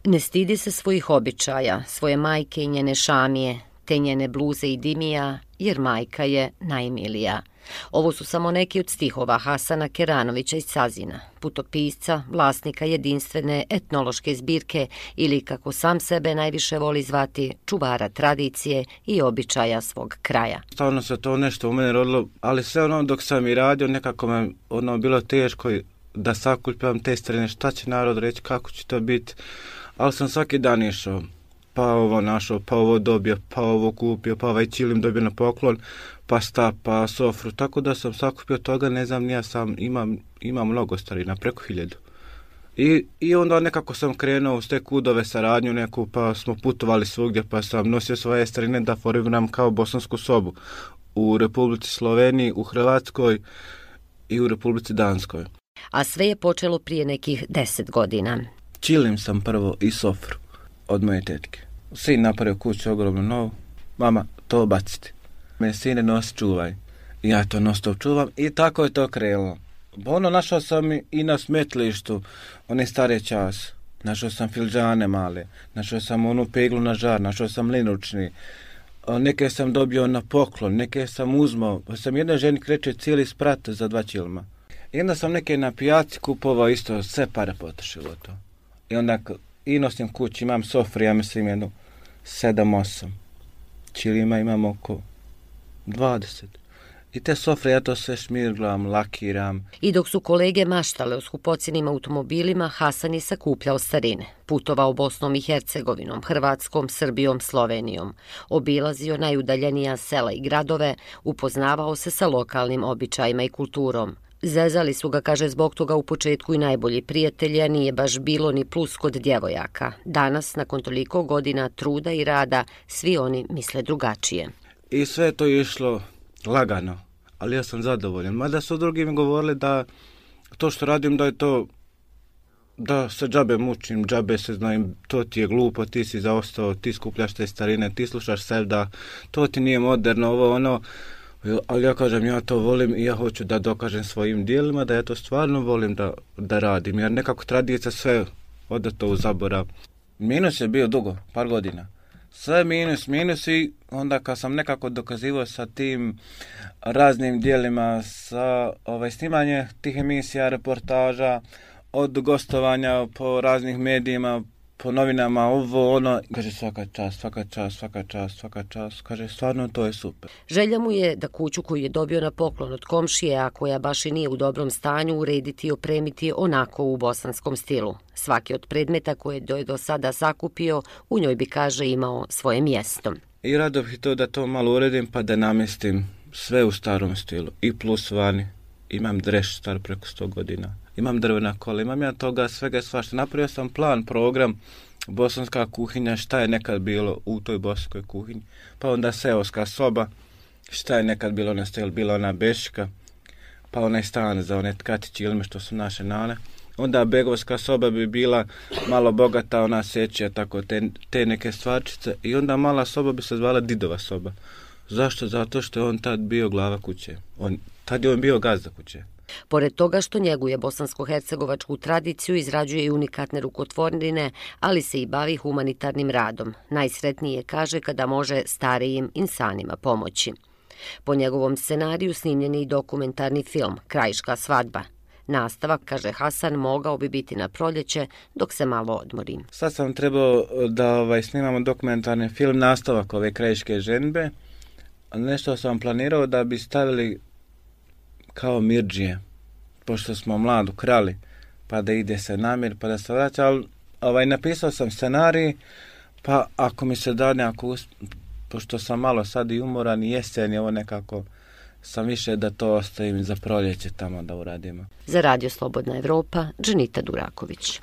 Ne stidi se svojih običaja, svoje majke i njene šamije, te njene bluze i dimija, jer majka je najmilija. Ovo su samo neki od stihova Hasana Keranovića iz Cazina, putopisca, vlasnika jedinstvene etnološke zbirke ili, kako sam sebe najviše voli zvati, čuvara tradicije i običaja svog kraja. Stavno se to nešto u mene rodilo, ali sve dok sam i radio, nekako me bilo teško da sakupljam te starine, šta će narod reći, kako će to biti, ali sam svaki dan išao. Pa ovo našao, pa ovo dobio, pa ovo kupio, pa ovaj čilim dobio na poklon, pa štap, pa sofru. Tako da sam sakupio toga, ne znam, ja sam imam mnogo starina, preko 1000. I onda nekako sam krenuo uz te kudove saradnju neku, pa smo putovali svugdje, pa sam nosio svoje starine da formiram kao bosansku sobu u Republici Sloveniji, u Hrvatskoj i u Republici Danskoj. A sve je počelo prije nekih 10 godina. Čilim sam prvo i sofru od moje tetke. Sin napravio kuću ogromno novu. Mama, to baciti. Me sine nosi, čuvaj. I ja to non-stop čuvam i tako je to krenulo. Našao sam i na smetlištu one stare čas. Našao sam filđane male. Našao sam onu peglu na žar. Našao sam linučni. Neke sam dobio na poklon. Neke sam uzmao. Pa sam jednoj ženi kreće cijeli sprat za 2 čilma. I onda sam neke na pijaci kupovao isto. Sve pare potrošilo to. I onda i nosim kući, imam sofru, ja mislim jednu 7-8. Čilima imam oko 20. I te sofre ja to sve šmirglam, lakiram. I dok su kolege maštale o skupocijenim automobilima, Hasan je sakupljao starine. Putovao Bosnom i Hercegovinom, Hrvatskom, Srbijom, Slovenijom. Obilazio najudaljenija sela i gradove, upoznavao se sa lokalnim običajima i kulturom. Zezali su ga, kaže, zbog toga u početku i najbolji prijatelji, a nije baš bilo ni plus kod djevojaka. Danas, nakon toliko godina truda i rada, svi oni misle drugačije. I sve to je išlo lagano, ali ja sam zadovoljan. Mada su drugi mi govorili da to što radim da je to, da se džabe mučim, džabe se znam, to ti je glupo, ti si zaostao, ti skupljaš te starine, ti slušaš sevda, to ti nije moderno, ovo ono. Ali ja kažem, ja to volim i ja hoću da dokažem svojim dijelima da ja to stvarno volim da radim, jer nekako tradicija sve ode to u zaborav. Minus je bio dugo, par godina. Sve minus i onda kad sam nekako dokazivao sa tim raznim dijelima, sa snimanje tih emisija, reportaža, od gostovanja po raznih medijima, po novinama, ovo, ono, kaže svaka čast, kaže stvarno to je super. Želja mu je da kuću koju je dobio na poklon od komšije, a koja baš i nije u dobrom stanju, urediti i opremiti onako u bosanskom stilu. Svaki od predmeta koje je do sada sakupio, u njoj bi, kaže, imao svoje mjesto. I rado bih to da to malo uredim pa da namjestim sve u starom stilu. I plus vani, imam dreš star preko 100 godina. Imam drvena kola, imam ja toga svega svašta. Napravio sam plan, program, bosanska kuhinja, šta je nekad bilo u toj bosanskoj kuhinji. Pa onda seoska soba, šta je nekad bilo na stel, bila ona beška, pa onaj stan za one tkatići ilme što su naše nane. Onda begovska soba bi bila malo bogata, ona sečija, tako te neke stvarčice. I onda mala soba bi se zvala Didova soba. Zašto? Zato što je on tad bio glava kuće. Tad je on bio gazda kuće. Pored toga što njeguje bosansko-hercegovačku tradiciju, izrađuje i unikatne rukotvorine, ali se i bavi humanitarnim radom. Najsretnije, kaže, kada može starijim insanima pomoći. Po njegovom scenariju snimljen je i dokumentarni film Krajiška svadba. Nastavak, kaže Hasan, mogao bi biti na proljeće dok se malo odmori. Sad sam trebao da snimamo dokumentarni film, nastavak ove krajiške ženbe. Nešto sam planirao da bi stavili kao mirdžije, pošto smo mladu krali, pa da ide se namir, pa da se vraća, ali napisao sam scenarij, pa ako mi se da nekako, pošto sam malo sad i umoran i jesen je ovo nekako, sam više da to ostavim za proljeće tamo da uradimo. Za Radio Slobodna Evropa, Dženita Duraković.